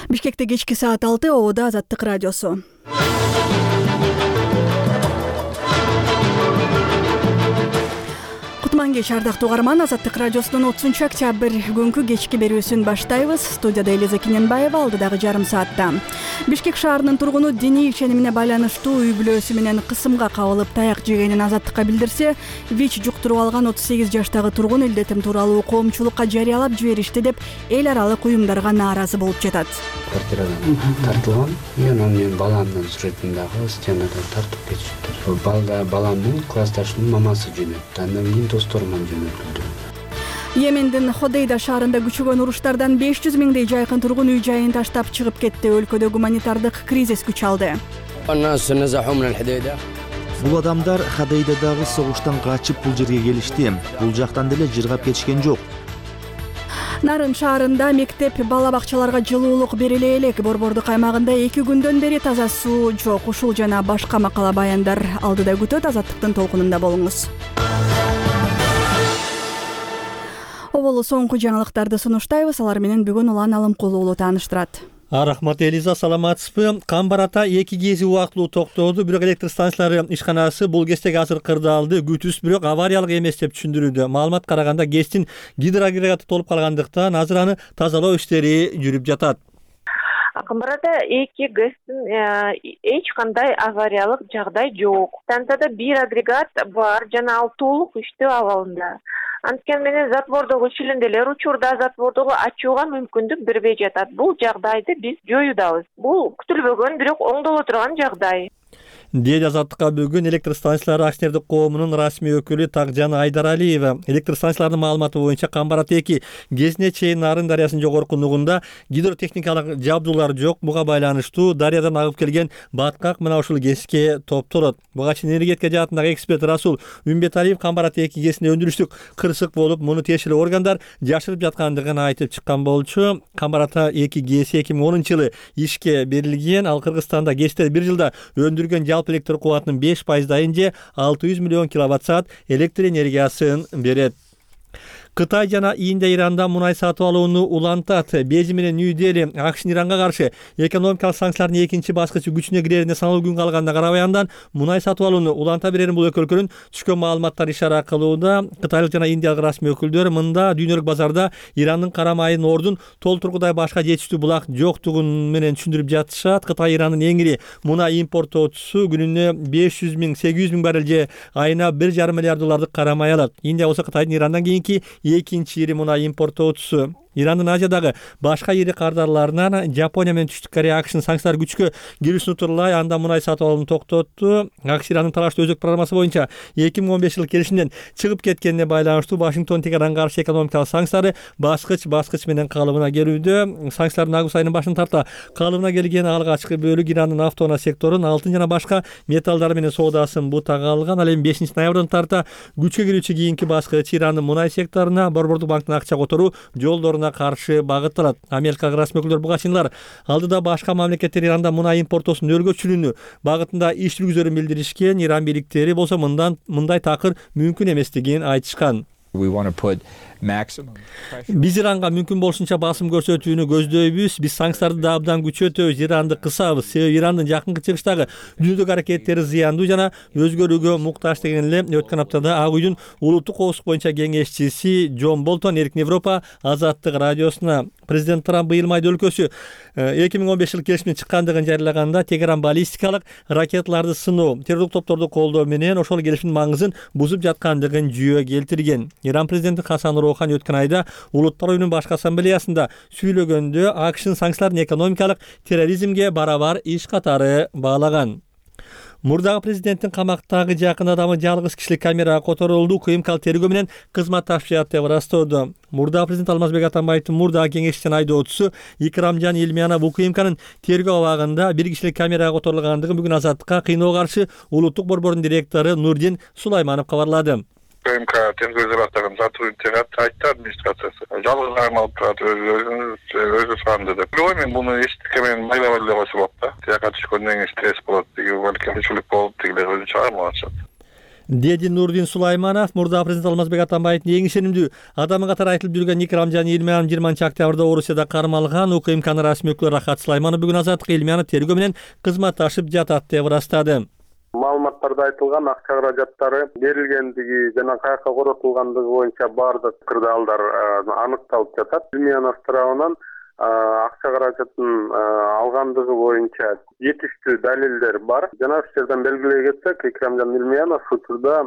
Бишкекте кечки саат 6 Ободо Азаттык радиосу. Кутман кеч ардактуу угарман, Азаттык радиосунун 30 октябрь күнкү кечки берүүсүн баштайбыз. Студияда Элиза Кененбаева, алдыдагы жарым саатта. Бишкек шаарынын тургуну диний ишенимине байланыштуу үй бүлөсү менен кысымга кабылып таяк жегенин Азаттыкка билдирсе, ВИЧ жуктуруп алган 38 жаштагы тургун илдетим тууралуу коомчулукка жарыялап жиберишти деп эл аралык уюмдарга нааразы болуп жатат. Квартирадан тартылган, анан мен баламдын сүрөтүн дагы стенадан тартып кетишти. Баламдын классташынын мамасы жөнөттү, андан кийин досторуман жөнөтүлдү. Йемендин Ходейда шаарында күчөгөн уруштардан 500 миңдей жайкын тургун үй жайын таштап чыгып кетти. Өлкөдө гуманитардык кризис күч алды. Бул адамдар Ходейдадагы согуштан качып бул жерге келишти. Бул жактан деле жыргап кетишкен жок. Нарын шаарында мектеп бала бакчаларга жылуулук бериле элек. Борбордук аймагында 2 күндөн бери таза суу жок. Ушул жана башка макала баяндар алдыда күтөт. Азаттыктын толкунунда болуңуз. Оболу соңку жаңылыктарды сунуштайбыз. Алар менен бүгүн Улан Алымкулуу уулу тааныштырат. Рахмат Элиза, саламатсызбы? Камбарата 2 кези убактылуу токтоду, бирок электр станциялары ишканасы бул кездеги азыр кырдаалды. Күтүс бирок авариялык эмес деп түшүндүрүүдө. Маалымат караганда ГЭСтин гидроагрегаты толуп калгандыктан азыр аны тазалоо иштери жүрүп жатат. Камбарада 2 ГЭСтин эч кандай авариялык жагдай жок. Станцияда 1 агрегат бар жана ал толук иштөө абалында. Анткени менен затвордогу шилинделер учурда затвордогу ачууга мүмкүндүк бербей жатат. Бул жагдайды биз жоюудабыз. Бул күтүлбөгөн, бирок оңдоло турган жагдай. Дейт Азаттыкка бүгүн электр станциялары акционердик коомунун расмий өкүлү Такжан Айдаралиева. Электр станцияларынын маалыматы боюнча Камбарата 2 ГЭСине чейин Нарын дарыясынын жогорку нугунда гидротехникалык жабдуулар жок. Буга байланыштуу дарыядан агып келген баткак мына ушул ГЭСке топтолот. Буга чейин энергетика жаатындагы эксперт Расул Үмбеталиев Камбарата 2 ГЭСине өндүрүштүк кырсык болуп, муну тиешелүү органдар жашырып жаткандыгын айтып чыккан болчу. Камбарата 2 ГЭСи 2010-жылы ишке берилген. Ал Кыргызстанда ГЭСтер бир жылда өндүргөн жалпы электр кубатынын 5%-дайын же 600 миллион киловатт-саат электр энергиясын берет. Кытай жана Индия Иранда мунай сатып алууну улантат. Бейжиң менен Нью-Дели АКШнын Иранга каршы экономикалык санкциялардын экинчи баскычы күчүнө кирерине саналуу күн калганда карабаяндан мунай сатып алууну уланта берерин бул өкү өлкөнүн түшкөн маалыматтар ишара кылууда. Кытайлык жана индиялык расмий өкүлдөр мында дүйнөлүк базарда Ирандын кара майынын ордун толтургудай башка жетиштүү булак жоктугун менен түшүндүрүп жатышат. Кытай Ирандын эң ири мунай импорттоочусу, күнүнө 500 миң 800 миң баррель же айына 1,5 миллиард доллардык кара май алат. Индия болсо Кытайдын Ирандан кийинки экинчи ири мунай импорттоочусу. Ирандын Азиядагы башка ири кардарларынан Жапония менен Түштүк Корея АКШнын санкциялар күчкө кирүүсүн утурлай анда мунай сатып алууну токтотту. АКШ Ирандын талаштуу өзөк программасы боюнча 2015 жылы келишимден чыгып кеткенине байланыштуу Вашингтон Тегаранга каршы экономикалык санкциялары баскыч менен калыбына келүүдө. Санкциялардын август айынын башын тарта калыбына келген алгачкы бөлүк Ирандын автоунаа секторун, алтын жана башка металлдар менен соодасын бутага алган. Ал эми 5 ноябрдан тарта күчкө кирүүчү кийинки баскыч Ирандын мунай секторуна, Борбордук банктын акча которуу жолдоруна каршы багытталат. Америкалык расмий өкүлдөр буга чейин алдыда башка мамлекеттер Иранда мунай импорттоосун өргөчүлүүнү багытында иш жүргүзөрүн билдиришкен. Иран бийликтери болсо мындай такыр мүмкүн эместигин айтышкан. Биз Иранга мүмкүн болушунча басым көрсөтүүнү көздөйбүз. Биз санкцияларды да абдан күчөтөбүз, Иранды кысабыз. Себеби Ирандын жакынкы чыгыштагы дүйнөдөгү аракеттери зыяндуу жана өзгөрүүгө муктаж деген эле өткөн аптада Ак үйдүн улуттук коопсуздук боюнча кеңешчиси Джон Болтон Эркин Европа Азаттык радиосуна президент Трамп быйыл майда өлкөсү 2015 жылы келишимден чыккандыгын жарыялаганда Тегеран баллистикалык ракеталарды сыноо, террорлук топторду колдоо менен ошол келишимдин маңызын бузуп жаткандыгын жүйө келтирген. Иран президенти Хасан Роухани өткөн айда Улуттар уюмунун башкы ассамблеясында сүйлөгөндө АКШнын санкцияларын экономикалык терроризмге барабар иш катары баалаган. Мурдагы президенттин камактагы жакын адамы жалгыз кишилик камерага которулду. УКМК тергөө менен кызматташып жатат деп ырастоодо. Мурдагы президент Алмазбек Атамбаевдин мурдагы кеңешчинин айдоочусу Икрамжан Илмиянов УКМКнын тергөө абагында бир кишилик камерага которулгандыгын бүгүн Азаттыкка кыйноого каршы улуттук борбордун директору Нурдин Сулайманов кабарлады. УКМК тергөө атаган сотрудниктер айтты администрациясы. Жалгыз алып турат, өзү саамды деп. Мен буну эчтеке менен байлап эле койсо болот да. Тияка түшкөндөн кийин стресс болот, балким күчүлүк болуп, тигилер өзү чыгар. деди Нурдин Сулайманов. Мурда президент Алмазбек Атамбаевдин эң ишенимдүү адамы катары айтылып жүргөн Икрамжан Илмиянов 20-октябрда Орусияда кармалган. УКМКнын расмий өкүлү Рахат Сулайманов бүгүн Азаттык Илмиянов тергөө менен кызматташып жатат деп ырастады. Маалыматтарда айтылган акча каражаттары берилгендиги жана каяка коротулгандыгы боюнча баардык кырдаалдар аныкталып жатат. Илмиянов тарабынан акча каражатын алгандыгы боюнча жетиштүү далилдер бар. Жана ушул жерден белгилей кетсек, Икрамжан Илмиянов учурда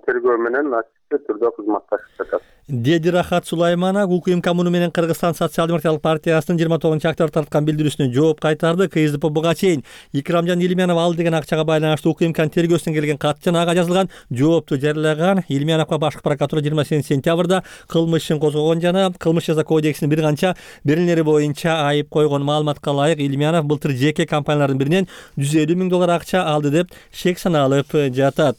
тергөө менен ачык түрдө кызматташып жатат. Деди Рахат Сулайманов УКМК муну менен Кыргызстан социал-демократиялык партиясынын 29-октябрда тарткан билдирүүсүнө жооп кайтарды. КСДП буга чейин Икрамжан Илмиянов ал деген акчага байланыштуу УКМКнын тергөөсүнөн келген кат жана ага жазылган жоопту жарыялаган. Илмияновго башкы прокуратура 28-сентябрда кылмыш ишин козгогон жана кылмыш жаза кодексинин бир канча берилери боюнча айып койгон. Маалыматка ылайык, Илмиянов былтыр жеке компаниялардын биринен $150 000 акча алды деп шек саналып жатат.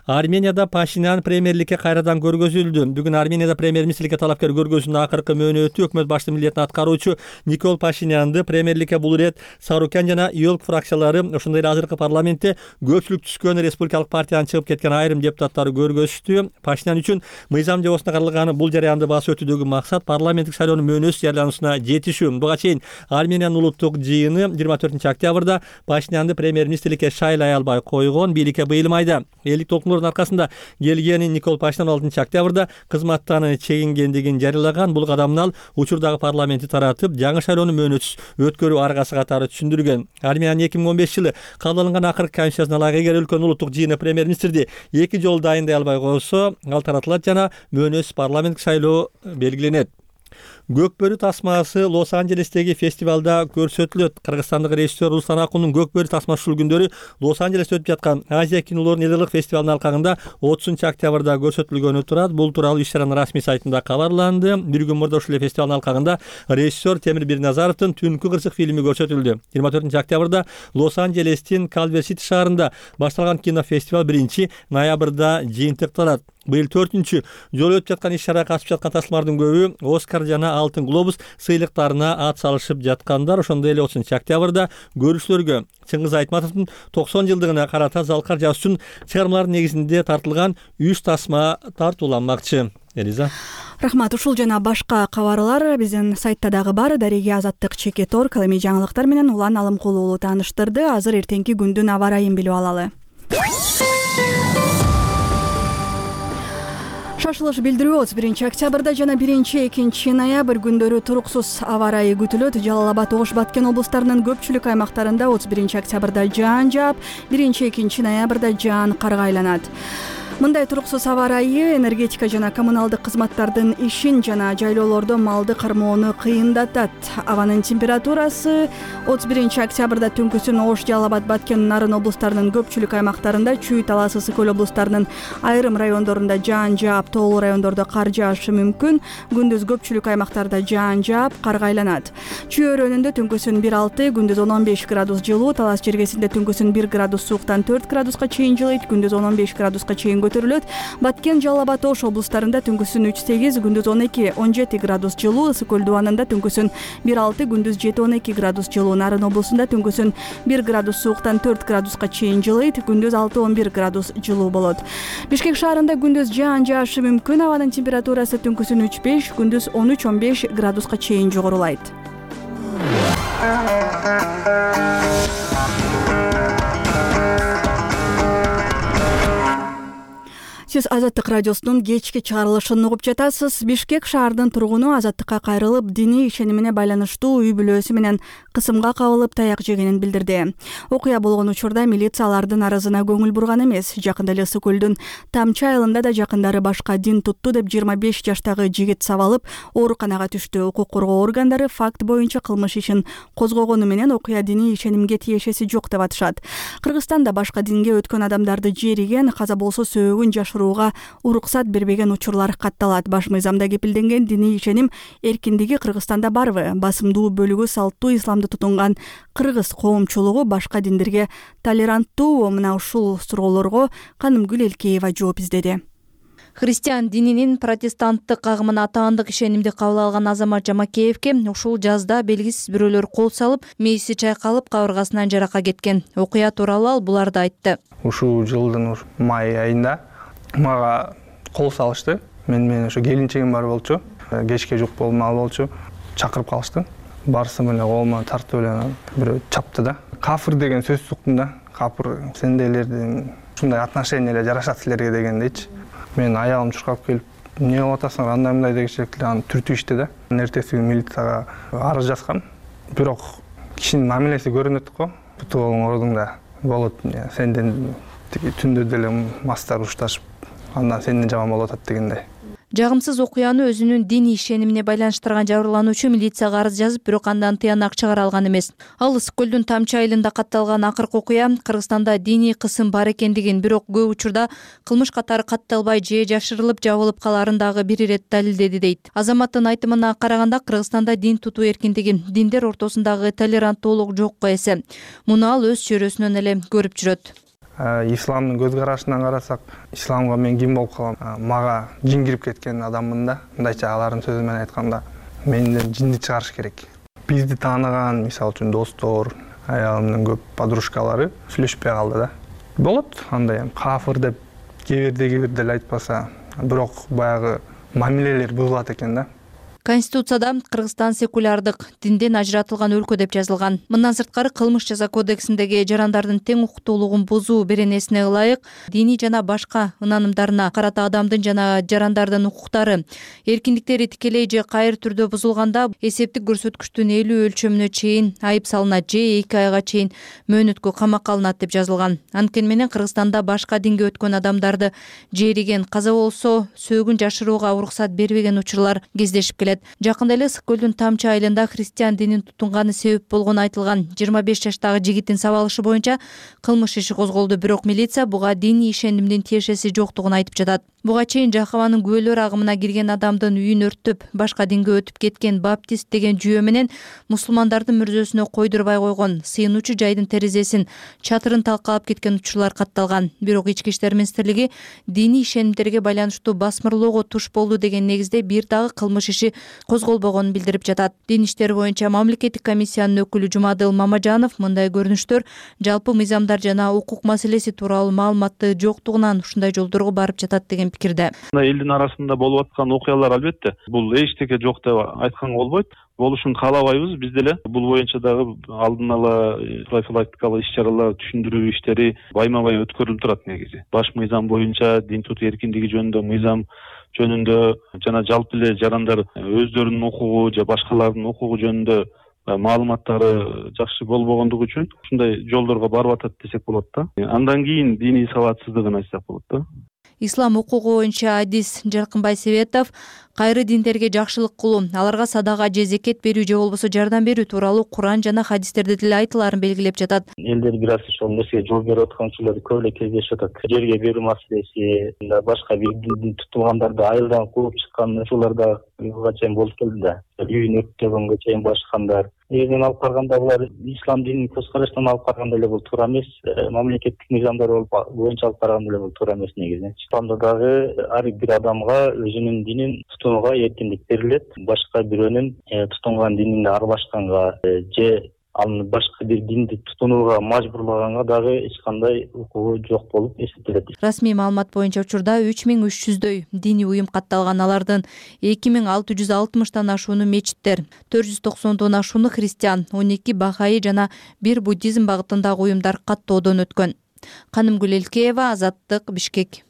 Арменияда Пашинян премьерликке кайрадан көргөзүлдү. Бүгүн Арменияда премьер-министрликке талапкер көргөзүүнүн акыркы мөөнөтү өкмөт башчысынын милдетин аткаруучу Никол Пашинянды премьерликке бул ирет Сарукян жана ИОЛК фракциялары, ошондой эле азыркы парламентте көпчүлүк түскөн республикалык партиянын чыгып кеткен айрым депутаттары көргөзүштү. Пашинян үчүн мыйзам жобосуна каралган бул жараянды басып өтүүдөгү максат парламенттик шайлоонун мөөнөсүз жарыялануусуна жетишүү. Буга чейин Армениянын улуттук жыйыны 24-октябрда Пашинянды премьер-министрликке шайлай албай койгон. Бийликке быйыл майда элдик толкундардын аркасында келгени Никол Пашинян 6-октябрда кызматтан чегингендигин жарыялаган. Бул кадамын ал учурдагы парламентти таратып, жаңы шайлоону мөөнөтсүз өткөрүү аргасы катары түшүндүргөн. Армениянын 2015 жылы кабыл алынган акыркы конституциясына ылайык, эгер өлкөнүн улуттук жыйыны премьер-министрди 2 жолу дайындай албай койсо, ал таратылат жана мөөнөтсүз парламенттик шайлоо белгиленет. Көкбөрү тасмасы Лос-Анджелестеги фестивалда көрсөтүлөт. Кыргызстандык режиссер Руслан Акунун Көкбөрү тасмасы ушул күндөрү Лос-Анджелесте өтүп жаткан Азия кинолорунун элдик фестивалынын алкагында 30-октябрда көрсөтүлгөнү турат. Бул тууралуу иш-чаранын расмий сайтында кабарланды. Бир күн мурда ушул фестивалдын алкагында режиссер Темир Бирназаровдун Түнкү кырсык фильми көрсөтүлдү. 24-октябрда Лос-Анджелестин Калвер-Сити шаарында башталган кинофестиваль 1-ноябрда жыйынтыкталат. Быйыл 4-чү жолу өтүп жаткан иш-чарага катышып жаткан тасмалардын көбү Оскар жана Алтын глобус сыйлыктарына ат салышып жаткандар. Ошондой эле 30-октябрда көрүүчүлөргө Чыңгыз Айтматовдун 90 жылдыгына карата залкар жазуу үчүн чыгармалардын негизинде тартылган 3 тасма тартууланмакчы. Элиза. Рахмат. Ушул жана башка кабарлар биздин сайтта дагы бар. Дареге Азаттык Чекет.org кылымий жаңылыктар менен Улан Алымкулуу тааныштырды. Азыр эртеңки күндүн аба ырайын билип алалы. Шашылыш билдирүү 31-октябрда жана 1-2 ноябрь күндөрү туруксуз аба ырайы күтүлөт. Жалал Абад, Ош, Баткен облустарынын көпчүлүк аймактарында 31-октябрда жаан жаап, 1-2 ноябрда жаан карга айланат. Мындай туруксуз аба ырайы энергетика жана коммуналдык кызматтардын ишин жана жайлоолордо малды кармоону кыйындатат. Абанын температурасы 31-октябрда түнкүсүн Ош, Жалал Абад, Баткен, Нарын облустарынын көпчүлүк аймактарында, Чүй, Талас, Ысык Көл облустарынын айрым райондорунда жаан жаап, тоолуу райондордо кар жаашы мүмкүн. Күндүз көпчүлүк аймактарда жаан жаап, карга айланат. Чүй өрөөнүндө түнкүсүн 1-6, күндүз 10-15 градус жылуу, Талас жергесинде түнкүсүн 1 градус сууктан 4 градуска чейин жылыйт, күндүз 10-15 градуска чейин көтөрүлөт. Баткен, Жалал Абад, Ош облустарында түнкүсүн 3-8, күндүз 12-17 градус жылуу, Ысык Көл дубанында түнкүсүн 1-6, күндүз 7-12 градус жылуу, Нарын облусунда түнкүсүн 1 градус сууктан 4 градуска чейин жылыйт, күндүз 6-11 градус жылуу болот. Бишкек шаарында күндүз жаан жаашы мүмкүн, абанын температурасы түнкүсүн 3-5, күндүз 13-15 градуска чейин жогорулайт. Сиз Азаттык радиосунун кечки чыгарылышын угуп жатасыз. Бишкек шаарынын тургуну азаттыкка кайрылып, диний ишенимине байланыштуу үй бүлөсү менен кысымга кабылып таяк жегенин билдирди. Окуя болгон учурда милиция алардын арызына көңүл бурган эмес. Жакында эле Ысык Көлдүн Тамчы айылында да жакындары башка дин тутту деп 25 жаштагы жигит сабалып ооруканага түштү. Укук коргоо органдары факт боюнча кылмыш ишин козгогону менен окуя диний ишенимге тиешеси жок деп атышат. Кыргызстанда башка динге өткөн адамдарды жериген, каза болсо сөөгүн жашырууга уруксат бербеген учурлар катталат. Баш мыйзамда кепилденген диний ишеним эркиндиги Кыргызстанда барбы? Басымдуу бөлүгү салттуу исламды тутунган кыргыз коомчулугу башка диндерге толеранттуу? Мына ушул суроолорго Канымгүл Элкеева жооп издеди. Христиан дининин протестанттык агымына таандык ишенимди кабыл алган Азамат Жамакеевке ушул жазда белгисиз бирөөлөр кол салып, мээси чайкалып, кабыргасынан жарака кеткен. Окуя тууралуу ал буларды айтты. Ушул жылдын май айында мага кол салышты. Менин ошо келинчегим бар болчу. Кечке жук болмал болчу. Чакырып калышты. Барсы менен колума тартып эле бирөө чапты да. Кафыр деген сөз суктум да. Кафыр сендейлердин ушундай отношение эле жарашат силерге деген дейчи. Мен аягым чуркап келип, эмне кылып атасың, андай мындай дегенче аны түртүп ишти да. Эртеси күнү милицияга арыз жазгам. Бирок кишинин мамилеси көрүнөт го. Буту колуң ордуңда болот. Сенден түндө деле мастар ушташып, андан сенден жаман болуп атат дегендей. Жагымсыз окуяны өзүнүн диний ишенимине байланыштырган жабырлануучу милицияга арыз жазып, бирок андан тыянак чыгара алган эмес. Ал Ысык көлдүн Тамчы айылында катталган акыркы окуя Кыргызстанда диний кысым бар экендигин, бирок көп учурда кылмыш катары катталбай же жашырылып жабылып каларын дагы бир ирет далилдеди дейт. Азаматтын айтымына караганда, Кыргызстанда дин тутуу эркиндиги диндер ортосундагы толеранттуулук жокко эсе. Муну ал өз чөйрөсүнөн эле көрүп жүрөт. Исламдын көз карашынан карасак, исламга мен ким болуп калам? Мага жин кирип кеткен адаммын да. Мындайча алардын сөзү менен айтканда, менден жинди чыгарыш керек. Бизди тааныган, мисалы үчүн достор, аялымдын көп подружкалары сүйлөшпөй калды да. Болот, андай кафыр деп кээ бирде эле айтпаса, бирок баягы мамилелер бузулат экен да. Конституцияда Кыргызстан секулярдык, динден ажыратылган өлкө деп жазылган. Мындан сырткары кылмыш жаза кодексиндеги жарандардын тең укуктуулугун бузуу беренесине ылайык диний жана башка ынанымдарына карата адамдын жана жарандардын укуктары, эркиндиктери тикелей же кайыр түрдө бузулганда эсептик көрсөткүчтүн 50 өлчөмүнө чейин айып салынат же 2 айга чейин мөөнөткө камакка алынат деп жазылган. Анткени менен Кыргызстанда башка динге өткөн адамдарды жериген, каза болсо сөөгүн жашырууга уруксат бербеген учурлар кездешип келет. Жакында эле Ысык көлдүн Тамчы айылында христиан динин тутунганы себеп болгону айтылган 25 жаштагы жигиттин сабалышы боюнча кылмыш иши козголду, бирок милиция буга диний ишенимдин тиешеси жоктугун айтып жатат. Буга чейин Жахаванын күбөлөр агымына кирген адамдын үйүн өрттөп, башка динге өтүп кеткен баптист деген жүйө менен мусулмандардын мүрзөсүнө койдурбай койгон, сыйынуучу жайдын терезесин, чатырын талкалап кеткен учурлар катталган. Бирок Ички иштер министрлиги диний ишенимдерге байланыштуу басмырлоого туш болду деген негизде бир дагы кылмыш иши козголбогонун билдирип жатат. Дин иштери боюнча мамлекеттик комиссиянын өкүлү Жумадыл Мамажанов мындай көрүнүштөр жалпы мыйзамдар жана укук маселеси тууралуу маалыматты жоктугунан ушундай жолдорго барып жатат деген пикирде. Элдин арасында болуп аткан окуялар албетте бул эчтеке жок деп айтканга болбойт. Болушун каалабайбыз биз деле. Бул боюнча дагы алдын ала профилактикалык иш-чаралар, түшүндүрүү иштери байма-бай өткөрүлүп турат негизи. Баш мыйзам боюнча дин тутуу эркиндиги жөнүндө мыйзам жөнүндө жана жалпы эле жарандар өздөрүнүн укугу же башкалардын укугу жөнүндө маалыматтары жакшы болбогондугу үчүн ушундай жолдорго барып атат десек болот да. Андан кийин диний сабатсыздыгын айтсак болот да. Ислам укугу боюнча Адис Жаркынбай Себетов кайры диндерге жакшылык кылуу, аларга садага же зекет берүү же болбосо жардам берүү тууралуу Куран жана хадистерде деле айтыларын белгилеп жатат. Элдер бир аз ошол нерсеге жооп берип аткан учурлар көп эле кездешип атат. Жерге берүү маселеси, башка бир дин тутулгандарды айылдан кууп чыккан учурлар да чейин болуп келди да. Үйүн өрттөгөнгө чейин башкандар. Негизинен алып караганда булар ислам динин көз карашынан алып караганда эле бул туура эмес. Мамлекеттик мыйзамдар боюнча алып караганда эле бул туура эмес негизи. Исламда дагы ар бир адамга өзүнүн динин тутунууга эркиндик берилет. Башка бирөөнүн тутунган динине аралашканга же аны башка бир динди тутунууга мажбурлаганга дагы эч кандай укугу жок болуп эсептелет. Расмий маалымат боюнча учурда 3300дөй диний уюм катталган. Алардын 2660тан ашууну мечиттер, 490дон ашууну христиан, 12 бахаи жана 1 буддизм багытындагы уюмдар каттоодон өткөн. Канымгүл Элкеева, Азаттык, Бишкек.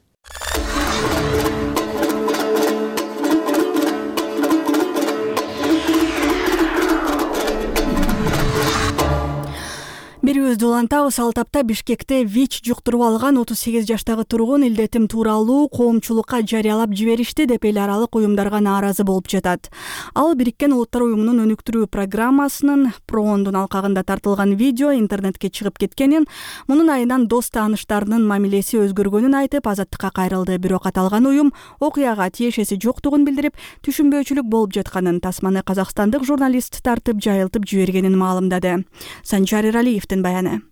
Берүүбүздү улантабыз. Ал тапта Бишкекте ВИЧ жуктуруп алган 38 жаштагы тургун илдетим тууралуу коомчулукка жарыялап жиберишти деп эл аралык уюмдарга нааразы болуп жатат. Ал Бириккен Улуттар уюмунун өнүктүрүү программасынын проондун алкагында тартылган видео интернетке чыгып кеткенин, мунун айынан дос тааныштарынын мамилеси өзгөргөнүн айтып, Азаттыкка кайрылды. Бирок аталган уюм окуяга тиешеси жоктугун билдирип, түшүнбөөчүлүк болуп жатканын, тасманы казакстандык журналист тартып жайылтып жибергенин маалымдады. Санжар Эралиевдин баяны.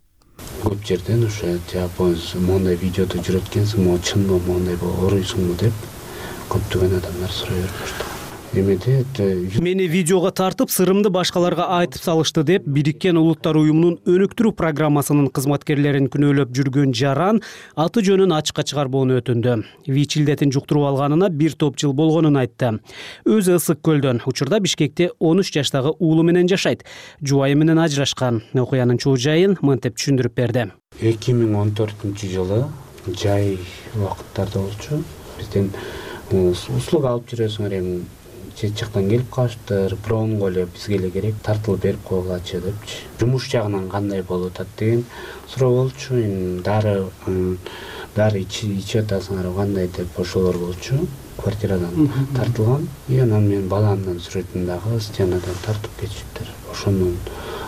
Көп жерден ошо жапон мондай видеоду жүрөткенсиң, могу чынбы, мондай болуп оруйсуңбу деп көптөгөн адамдар сурай берип баштаган. Эмеде мени видеого тартып сырымды башкаларга айтып салышты деп Бириккен Улуттар уюмунун өнүктүрүү программасынын кызматкерлерин күнөөлөп жүргөн Жаран аты жөнүн ачыкка чыгарбоону өтүндү. ВИЧ илдетин жуктуруп алганына бир топ жыл болгонун айтты. Өзү Ысык көлдөн, учурда Бишкекте 13 жаштагы уулу менен жашайт. Жубайы менен ажырашкан. Окуянын чоо жайын мынтип түшүндүрүп берди. 2014-жылы жай убакыттарда болчу. Бизден услуга алып жүрөсүңөр, эми чет жактан келип калыштыр, промго эле бизге эле керек, тартылып берип койгулачы депчи. Жумуш жагынан кандай болуп атат деген суроо болчу. Эми дары ичип атасыңар кандай деп ошолор болчу. Квартирадан тартылган. Анан мен баламдын сүрөтүн дагы стенадан тартып кетишиптир.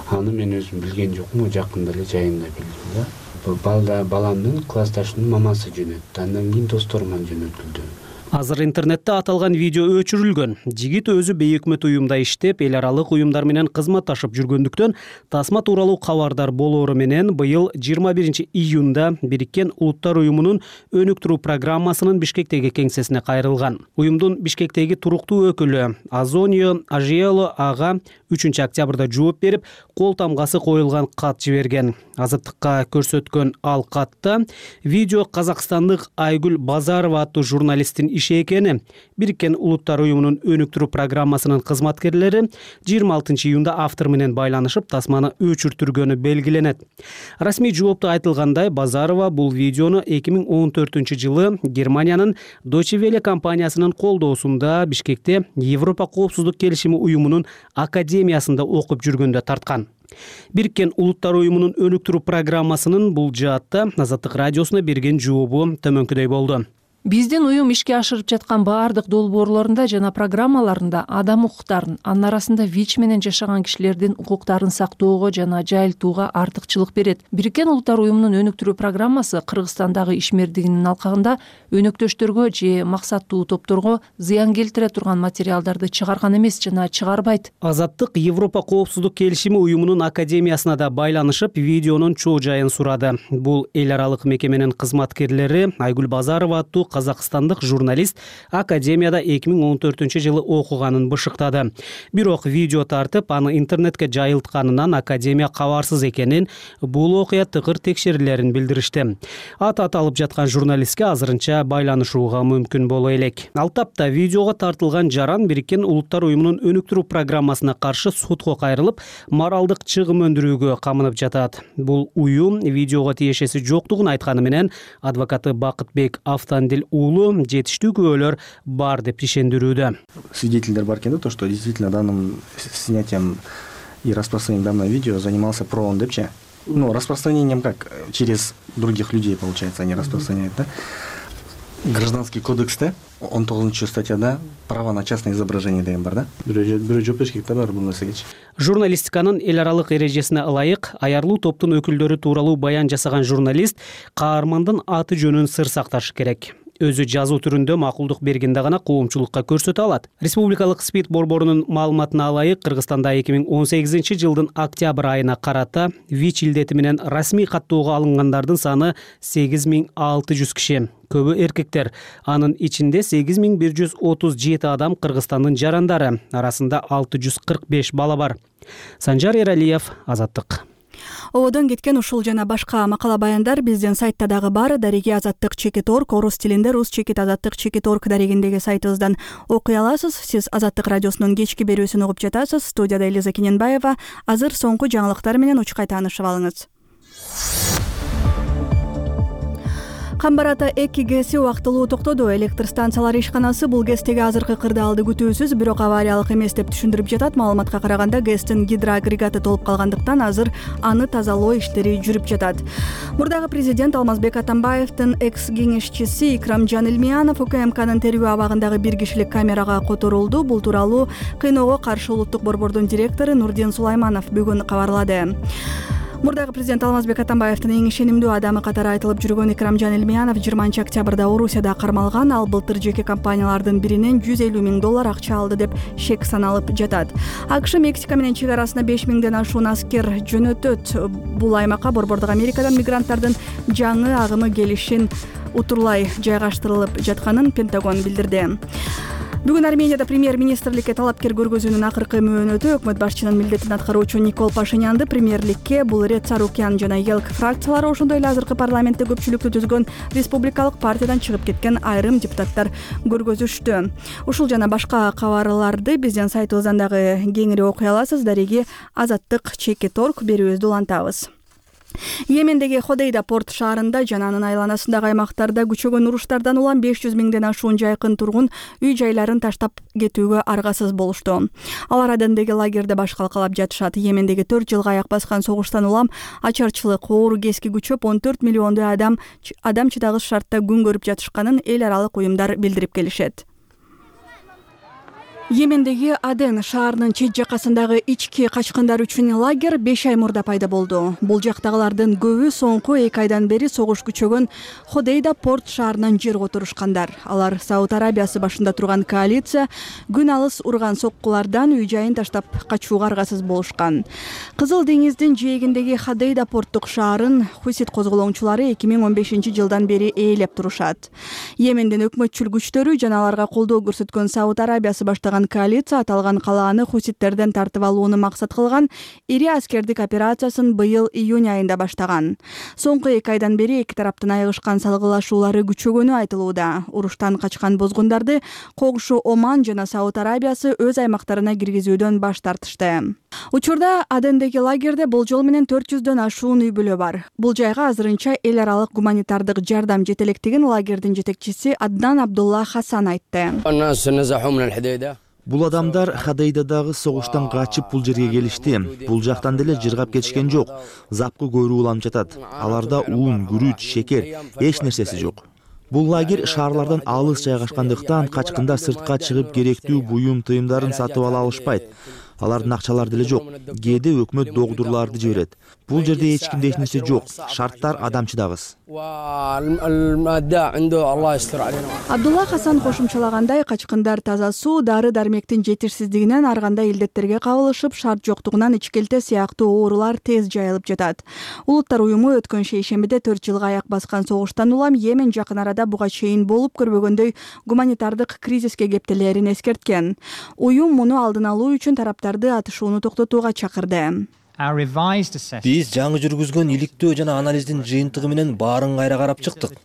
Аны мен өзүм билген жокмун, жакында эле жайында билдим да. Баламдын классташынын мамасы жөнөттү. Андан кийин досторуман жөнөтүлдү. Азыр интернетте аталган видео өчүрүлгөн. Жигит өзү бейөкмөт уюмда иштеп, эл аралык уюмдар менен кызматташып жүргөндүктөн тасма тууралуу кабардар болоору менен быйыл 21 июнда Бириккен Улуттар уюмунун өнүктүрүү программасынын Бишкектеги кеңсесине кайрылган. Уюмдун Бишкектеги туруктуу өкүлү Азонио Ажиело ага 3 октябрда жооп берип, кол тамгасы коюлган кат жиберген. Азаттыкка көрсөткөн ал катта видео казакстандык Айгүл Базарова аттуу журналисттин иши экени, Бириккен Улуттар уюмунун өнүктүрүү программасынын кызматкерлери 26 июнда автор менен байланышып, тасманы өчүртүргөнү белгиленет. Расмий жоопто айтылгандай, Базарова бул видеону 2014-жылы Германиянын Deutsche Welle компаниясынын колдоосунда Бишкекте Европа коопсуздук келишими уюмунун академиясында окуп жүргөндө тарткан. Бириккен Улуттар уюмунун өнүктүрүү программасынын бул жаатта Азаттык радиосуна берген жообу төмөнкүдөй болду. Биздин уюм ишке ашырып жаткан баардык долбоорлорунда жана программаларында адам укуктарын, анын арасында ВИЧ менен жашаган кишилердин укуктарын сактоого жана жайылтууга артыкчылык берет. Бириккен Улуттар уюмунун өнүктүрүү программасы Кыргызстандагы ишмердигинин алкагында өнөктөштөргө же максаттуу топторго зыян келтире турган материалдарды чыгарган эмес жана чыгарбайт. Азаттык Европа коопсуздук келишими уюмунун академиясына да байланышып, видеонун чоо жайын сурады. Бул эл аралык мекеменин кызматкерлери Айгүл Базарова аттуу казакстандык журналист академияда 2014-жылы окуганын бышыктады. Бирок видео тартып, аны интернетке жайылтканынан академия кабарсыз экенин, бул окуя тыкыр текшерилерин билдиришти. Аты аталып жаткан журналистке азырынча байланышууга мүмкүн боло элек. Ал тапта видеого тартылган Жаран Бириккен Улуттар уюмунун өнүктүрүү программасына каршы сотко кайрылып, моралдык чыгым өндүрүүгө камынып жатат. Бул уюм видеого тиешеси жоктугун айтканы менен адвокаты Бакытбек Автандил уулу жетиштүү күбөлөр бар деп ишендирүүдө. Свидетельдер бар экен да, то, что действительно данным снятием и распространением данного видео занимался ПРООН депчи. Ну, распространением как? Через других людей, получается, они распространяют, да? Гражданский кодексте 19 статьяда право на частное изображение деген бар да. Бирөө жооп бериш керек да бар бул нерсеге. Журналистиканын эл аралык эрежесине ылайык аярлуу топтун өкүлдөрү тууралуу баян жасаган журналист каармандын аты жөнүн сыр сакташы керек. Өзү жазуу түрүндө макулдук бергенде гана коомчулукка көрсөтө алат. Республикалык СПИД борборунун маалыматына ылайык, Кыргызстанда 2018-жылдын октябрь айына карата ВИЧ илдети менен расмий каттоого алынгандардын саны 8600 киши. Көбү эркектер. Анын ичинде 8137 адам Кыргызстандын жарандары, арасында 645 бала бар. Санжар Эралиев, Азаттык. Ободон кеткен ушул жана башка макала баяндар биздин сайтта дагы бар. Дареги Азаттык.орг, орус тилинде rus.azattyk.org дарегиндеги сайтыбыздан окуй аласыз. Сиз Азаттык радиосунун кечки берүүсүн угуп жатасыз. Студияда Элиза Кененбаева. Азыр соңку жаңылыктар менен учкай таанышып алыңыз. Камбарата 2 гэси убактылуу токтоду. Электр станциялар ишканасы бул гэстеги азыркы кырдаалды күтүүсүз, бирок авариялык эмес деп түшүндүрүп жатат. Маалыматка караганда гэстин гидроагрегаты толуп калгандыктан азыр аны тазалоо иштери жүрүп жатат. Мурдагы президент Алмазбек Атамбаевдин экс-кеңешчиси Икрамжан Илмиянов УКМКнын терүү абагындагы бир кишилик камерага которулду. Бул тууралуу Кыйноого каршы улуттук борбордун директору Нурдин Сулайманов бүгүн кабарлады. Мурдагы президент Алмазбек Атамбаевдин эң ишенимдүү адамы катары айтылып жүргөн Икрамжан Илмиянов 20 октябрда Орусияда кармалган. Ал былтыр жеке компаниялардын биринен $150 000 акча алды деп шек саналып жатат. АКШ Мексика менен чек арасына 5000ден ашуун аскер жөнөтөт. Бул аймакка борбордук Америкадан мигранттардын жаңы агымы келишин утурлай жайгаштырылып жатканын Пентагон билдирди. Бүгүн Арменияда премьер-министрликке талапкер көргөзүүнүн акыркы мөөнөтү өкмөт башчынын милдетин аткаруучу Никол Пашинянды премьерликке, бул ирет Сарукян жана ЕЛК фракциялары, ошондой эле азыркы парламентте көпчүлүктү түзгөн республикалык партиядан чыгып кеткен айрым депутаттар көргөзүштү. Ушул жана башка кабарларды биздин сайтыбыздан дагы кеңири окуй аласыз. Дареги Азаттык ЧК.орг берүүбүздү улантабыз. Йемендеги Ходейда порт шаарында жана анын айланасындагы аймактарда күчөгөн уруштардан улам 500 миңден ашуун жайкын тургун үй-жайларын таштап кетүүгө аргасыз болушту. Алар Адендеги лагерде баш калкалап жатышат. Йемендеги 4 жылга аяк баскан согуштан улам ачарчылык, оор кезки күчөп 14 миллиондой адам чыдагыс шартта күн көрүп жатышканын эл аралык уюмдар билдирип келишет. Йемендеги Аден шаарынын чет жакасындагы ички качкындар үчүн лагер 5 ай мурда пайда болду. Бул жактагылардын көбү соңку 2 айдан бери согуш күчөгөн Ходейда порт шаарынан жерге отурушкандар. Алар Сауд Арабиясы башында турган коалиция күн алыс урган соккулардан үй-жайын таштап качууга аргасыз болушкан. Кызыл деңиздин жээгиндеги Ходейда порттук шаарын хусит козголоңчулары 2015 жылдан бери ээлеп турушат. Йемендин өкмөтчүл күчтөрү жана аларга колдоо көрсөткөн Сауд Арабиясы баштаган коалиция аталган калааны хуситтерден тартып алууну максат кылган ири аскердик операциясын быйыл июнь айында баштаган. Соңку 2 айдан бери эки тараптын айыгышкан салгылашуулары күчөгөнү айтылууда. Уруштан качкан бозгундарды когушу Оман жана Сауд Арабиясы өз аймактарына киргизүүдөн баш тартышты. Учурда Адендеги лагерде болжол менен 400дөн ашуун үй бүлө бар. Бул жайга азырынча эл аралык гуманитардык жардам жете электигин лагердин жетекчиси Аднан Абдулла Хасан айтты. Бул адамдар Ходейдадагы согуштан качып бул жерге келишти. Бул жактан деле жыргап кетишкен жок. Запкы көйрүү уланып жатат. Аларда ун, күрүч, шекер эч нерсеси жок. Бул лагерь шаарлардан алыс жайгашкандыктан качкындар сыртка чыгып керектүү буюм тыйымдарын сатып ала алышпайт. Алардын акчалары деле жок. Кээде өкмөт догдурларды жиберет. Бул жерде эч кимде эч нерсе жок. Шарттар адамчыдагыс. Абдулла Хасан кошумчалагандай, качкындар таза суу, дары-дармектин жетишсиздигинен ар кандай илдеттерге кабылышып, шарт жоктугунан ичкелте сыяктуу оорулар тез жайылып жатат. Улуттар уюму өткөн шейшембиде 4 жылга аяк баскан согуштан улам Йемен жакын арада буга чейин болуп көрбөгөндөй гуманитардык кризиске кептелерин эскерткен. Уюм муну алдын алуу үчүн тараптарды атышууну токтотууга чакырды. Биз жаңы жүргүзгөн иликтөө жана анализдин жыйынтыгы менен баарын кайра карап чыктык.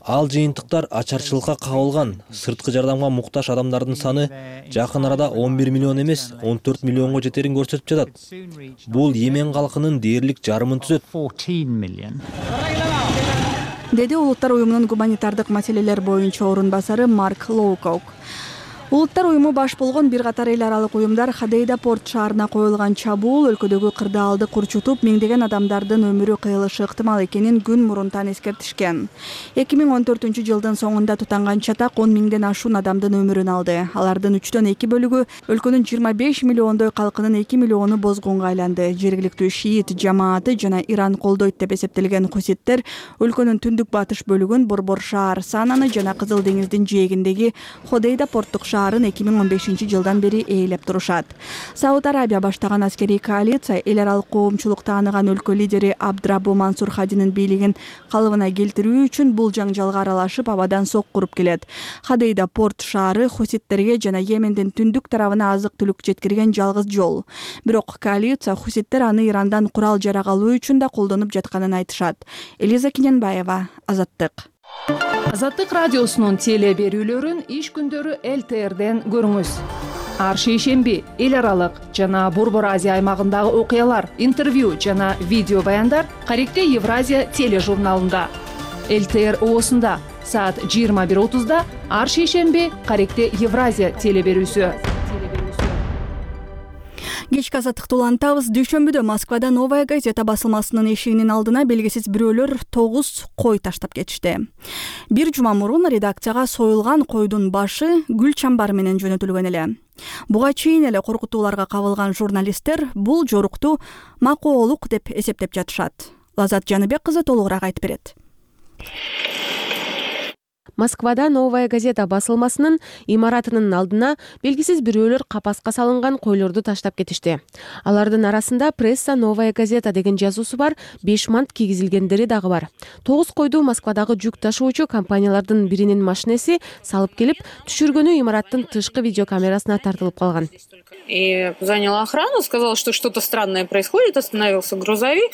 Ал жыйынтыктар ачарчылыкка кабылган, сырткы жардамга муктаж адамдардын саны жакын арада 11 миллион эмес, 14 миллионго жетерин көрсөтүп жатат. Бул Йемен калкынын дээрлик жарымын түзөт. Деди Улуттар уюмунун гуманитардык маселелер боюнча орун басары Марк Лоукок. Улуттар уюму баш болгон бир катар эл аралык уюмдар Ходейда порт шаарына коюлган чабуул өлкөдөгү кырдаалды курчутуп, миңдеген адамдардын өмүрү кыйылышы ыктымал экенин күн мурунтан эскертишкен. 2014 жылдын соңунда тутанган чатак 10 миңден ашуун адамдын өмүрүн алды. Алардын 3/2 бөлүгү өлкөнүн 25 миллиондой калкынын 2 миллиону бозгунга айланды. Жергиликтүү шиит жамааты жана Иран колдойт деп эсептелген хуситтер өлкөнүн түндүк батыш бөлүгүн, Борбор шаар Сананы жана Кызыл деңиздин жээгиндеги Ходейда порттук шаарын 2015 жылдан бери ээлеп турушат. Сауд Арабия баштаган аскерий коалиция эл аралык коомчулук тааныган өлкө лидери Абдрабу Мансур Хадинин бийлигин калыбына келтирүү үчүн бул жаңжалга аралашып, абадан сок куруп келет. Ходейда порт шаары хуситтерге жана Йемендин түндүк тарабына азык-түлүк жеткирген жалгыз жол. Бирок коалиция хуситтер аны Ирандан курал-жарак алуу үчүн да колдонуп жатканын айтышат. Элиза Киненбаева, Азаттык. Азаттык радиосунун теле берүүлөрүн иш күндөрү ЛТРден көрүңүз. Ар шейшемби эл аралык жана Борбор Азия аймагындагы окуялар, интервью жана видео баяндар Каректе Евразия тележурналында. ЛТР оосунда саат 21:30 ар шейшемби Каректе Евразия теле берүүсү. Кечки азаттыкты улантабыз. Дүйшөмбүдө Москвада Новая газета басылмасынын эшигинин алдына белгисиз бирөөлөр 9 кой таштап кетишти. Бир жума мурун редакцияга союлган койдун башы гүл чамбар менен жөнөтүлгөн эле. Буга чейин эле коркутууларга кабылган журналисттер бул жорукту макоолук деп эсептеп жатышат. Лазат Жаныбек кызы толугураак айтып берет. Москвада Новая газета басылмасынын имаратынын алдына белгисиз бирөөлөр капаска салынган койлорду таштап кетишти. Алардын арасында пресса Новая газета деген жазуусу бар 5 мант кийгизилгендери дагы бар. 9 койду Москвадагы жүк ташуучу компаниялардын биринин машинеси салып келип, түшүргөнү имараттын тышкы видеокамерасына тартылып калган. И занял охрану, сказал, что что-то странное происходит, остановился грузовик.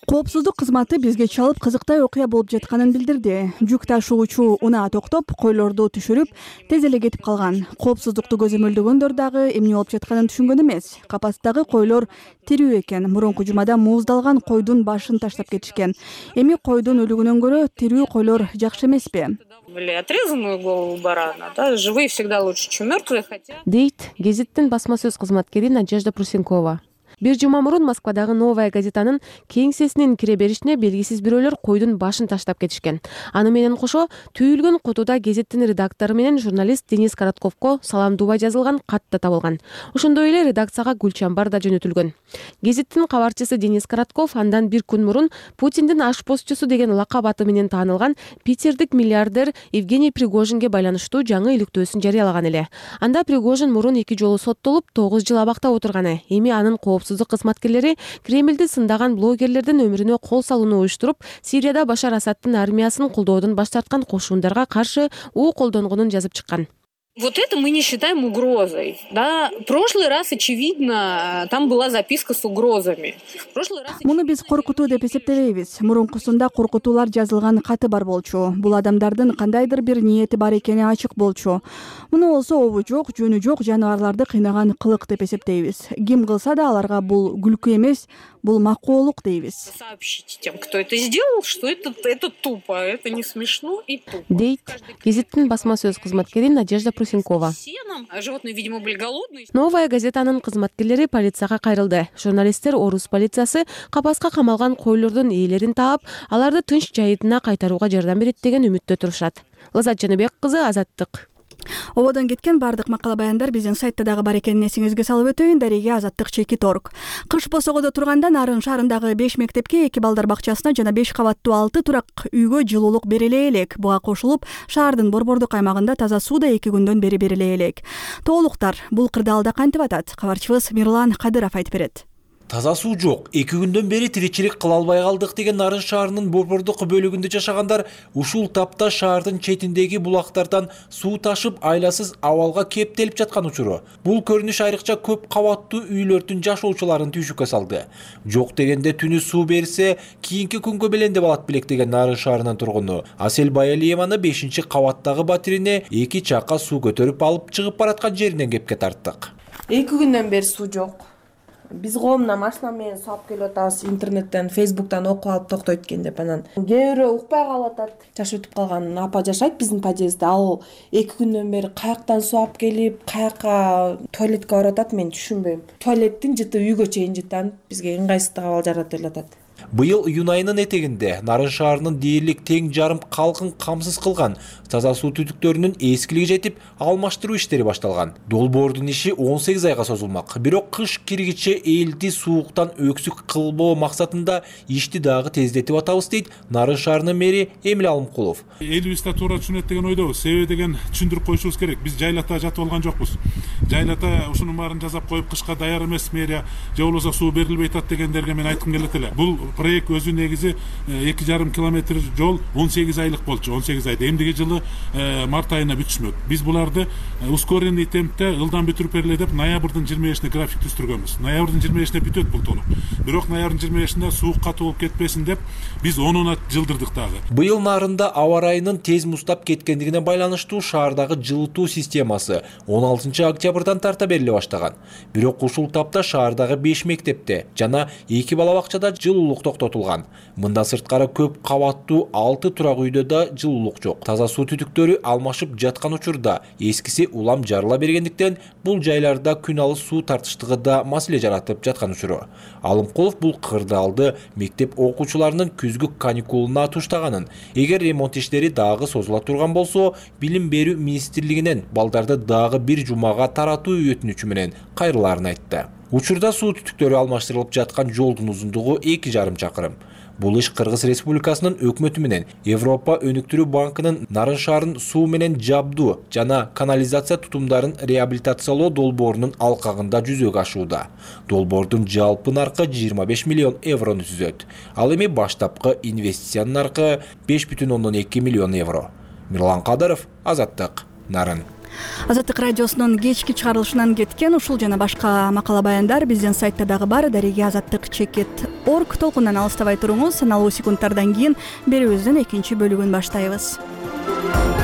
Коопсуздук кызматы бизге чалып кызыктай окуя болуп жатканын билдирди. Жүк ташуучу унаа токтоп, койлорду түшүрүп, тез эле кетип калган. Коопсуздукту көзөмөлдөгөндөр дагы эмне болуп жатканын түшүнгөн эмес. Капастагы койлор тирүү экен. Мурунку жумада мууздалган койдун башын таштап кетишкен. Эми койдун өлүгүнөн көрө тирүү койлор жакшы эмеспи? Отрезанную голову барана, да, живые всегда лучше, чем мертвые, хотя. Дейт гезиттин басма сөз кызматкери Надежда Прусенкова. Бир жума мурун Москвадагы Новая газетанын кеңсесинин кире беришине белгисиз бирөөлөр койдун башын таштап кетишкен. Аны менен кошо түйүлгөн кутуда гезиттин редактору менен журналист Денис Коротковго саламдууба жазылган кат да табылган. Ошондой эле редакцияга гүлчамбар да жөнөтүлгөн. Гезиттин кабарчысы Денис Коротков андан бир күн мурун Путиндин ашпозчусу деген лакап аты менен таанылган питердик миллиардер Евгений Пригожинге байланыштуу жаңы иликтөөсүн жарыялаган эле. Анда Пригожин мурун 2 жолу соттолуп 9 жыл абакта отурганы, эми анын коопсуздук кызматкерлери Кремлди сындаган блогерлердин өмүрүнө кол салууну уюштуруп, Сирияда Башар Асадтын армиясын колдоодон баш тарткан кошундарга каршы уу колдонгонун жазып чыккан. Вот это мы не считаем угрозой. Да? В прошлый раз, очевидно, там была записка с угрозами. Муну биз коркутуу деп эсептебейбиз. Мурункусунда коркутуулар жазылган каты бар болчу. Бул адамдардын кандайдыр бир ниети бар экени ачык болчу. Муну болсо обу жок, жөнү жок жаныбарларды кыйнаган кылык деп эсептейбиз. Ким кылса да аларга бул күлкү эмес, бул макоолук дейбиз. Сообщите тем, кто это сделал, что это тупо, это не смешно и тупо. Дейт гезиттин басма сөз кызматкери Надежда Прусенкова. Животные, видимо, были голодные. Новая газетанын кызматкерлери полицияга кайрылды. Журналисттер Орус полициясы капаска камалган койлордун ээлерин таап, аларды тынч жайытына кайтарууга жардам берет деген үмүттө турушат. Лазат Жаныбек кызы, Азаттык. Ободон кеткен бардык макала баяндар биздин сайтта дагы бар экенин эсиңизге салып өтөйүн. Дареге Азаттык /org. Кыш босогодо турганда Нарын шаарындагы 5 мектепке 2 балдар бакчасына жана 5 кабаттуу 6 турак үйгө жылуулук бериле элек. Буга кошулуп, шаардын борбордук аймагында таза суу да 2 күндөн бери бериле элек. Тоолуктар бул кырдаалда кантип атат? Кабарчыбыз Мирлан Кадыров айтып берет. Таза суу жок. 2 күндөн бери тиричилик кыла албай калдык деген Нарын шаарынын борбордук бөлүгүндө жашагандар ушул тапта шаардын четиндеги булактардан суу ташып айласыз абалга кептелип жаткан учуру. Бул көрүнүш айрыкча көп кабаттуу үйлөрдүн жашоочуларын түйшүккө салды. Жок дегенде түнү суу берсе, кийинки күнгө белендеп алат белек деген Нарын шаарынын тургуну Асель Баялиеваны 5-кабаттагы батирине 2 чакка суу көтөрүп алып чыгып бараткан жеринен кепке тарттык. 2 күндөн бери суу жок. Биз коомдон машина менен суу алып келип атабыз, интернеттен, фейсбуктан окуп алып токтойт экен деп анан. Кээ бирөө укпай калып атат. Жаш өтүп калган апа жашайт биздин подъездде. Ал 2 күндөн бери каяктан суу алып келип, каяка туалетке барып атат, мен түшүнбөйм. Туалеттин жыты үйгө чейин жыттан бизге ыңгайсыздык абал жаратып эле. Быйыл июнь айынын этегинде Нарын шаарынын дээрлик тең жарым калкын камсыз кылган таза суу түтүктөрүнүн эскилиги жетип, алмаштыруу иштери башталган. Долбоордун иши 18 айга созулмак. Бирок кыш киргиче элди сууктан өксүк кылбоо максатында ишти дагы тездетип атабыз дейт Нарын шаарынын мэри Эмил Алымкулов. Элибизде туура түшүнөт деген ойдобуз. Себеби деген түшүндүрүп коюшубуз керек. Биз жайлата жатып алган жокпуз. Жайлата ушунун баарын жасап коюп кышка даяр эмес мэрия же болбосо суу берилбей атат дегендерге мен айткым келет эле. Бул проект өзү негизи 2,5 километр жол 18 айлык болчу. 18 айда эмдиги жылы март айына бүтүшмөк. Биз буларды ускоренный темпте ылдам бүтүрүп бериле деп ноябрдын 25-ине график түзүргөнбүз. Ноябрдын 25-ине бүтөт бул толук. Бирок ноябрдын 25-inde суу катуу болуп кетпесин деп биз 10-уна жылдырдык дагы. Быйыл нарында аба ырайынын тез муздап кеткендигине байланыштуу шаардагы жылытуу системасы 16-октябрдан тарта бериле баштаган. Бирок ушул тапта шаардагы 5 мектепте жана 2 бала бакчада жылуулук токтотулган. Мындан сырткары көп кабаттуу 6 турак үйдө да жылуулук жок. Таза суу түтүктөрү алмашып жаткан учурда эскиси улам жарыла бергендиктен бул жайларда күн алыс суу тартыштыгы да маселе жаратып жаткан учуру. Алымкулов бул кырдаалды мектеп окуучуларынын күзгү каникулуна туштаганын, эгер ремонт иштери дагы созула турган болсо, билим берүү министрлигинен балдарды дагы бир жумага таратуу өтүнүчү менен кайрылаарын айтты. Учурда суу түтүктөрү алмаштырылып жаткан жолдун узундугу 2,5 чакырым. Бул иш Кыргыз Республикасынын өкмөтү менен Европа өнүктүрүү банкынын Нарын шаарын суу менен жабдуу жана канализация тутумдарын реабилитациялоо долбоорунун алкагында жүзөгө ашууда. Долбоордун жалпы наркы 25 миллион еврону түзөт. Ал эми баштапкы инвестициянын наркы 5,2 миллион евро. Мирлан Кадыров, Азаттык, Нарын. Азаттык радиосунун кечки чыгарылышынан кеткен ушул жана башка макала баяндар биздин сайтта дагы бар. Дареге azattik.org толкундан алыстабай туруңуз. Саналуу секундтардан кийин берүүбүздүн экинчи бөлүгүн баштайбыз.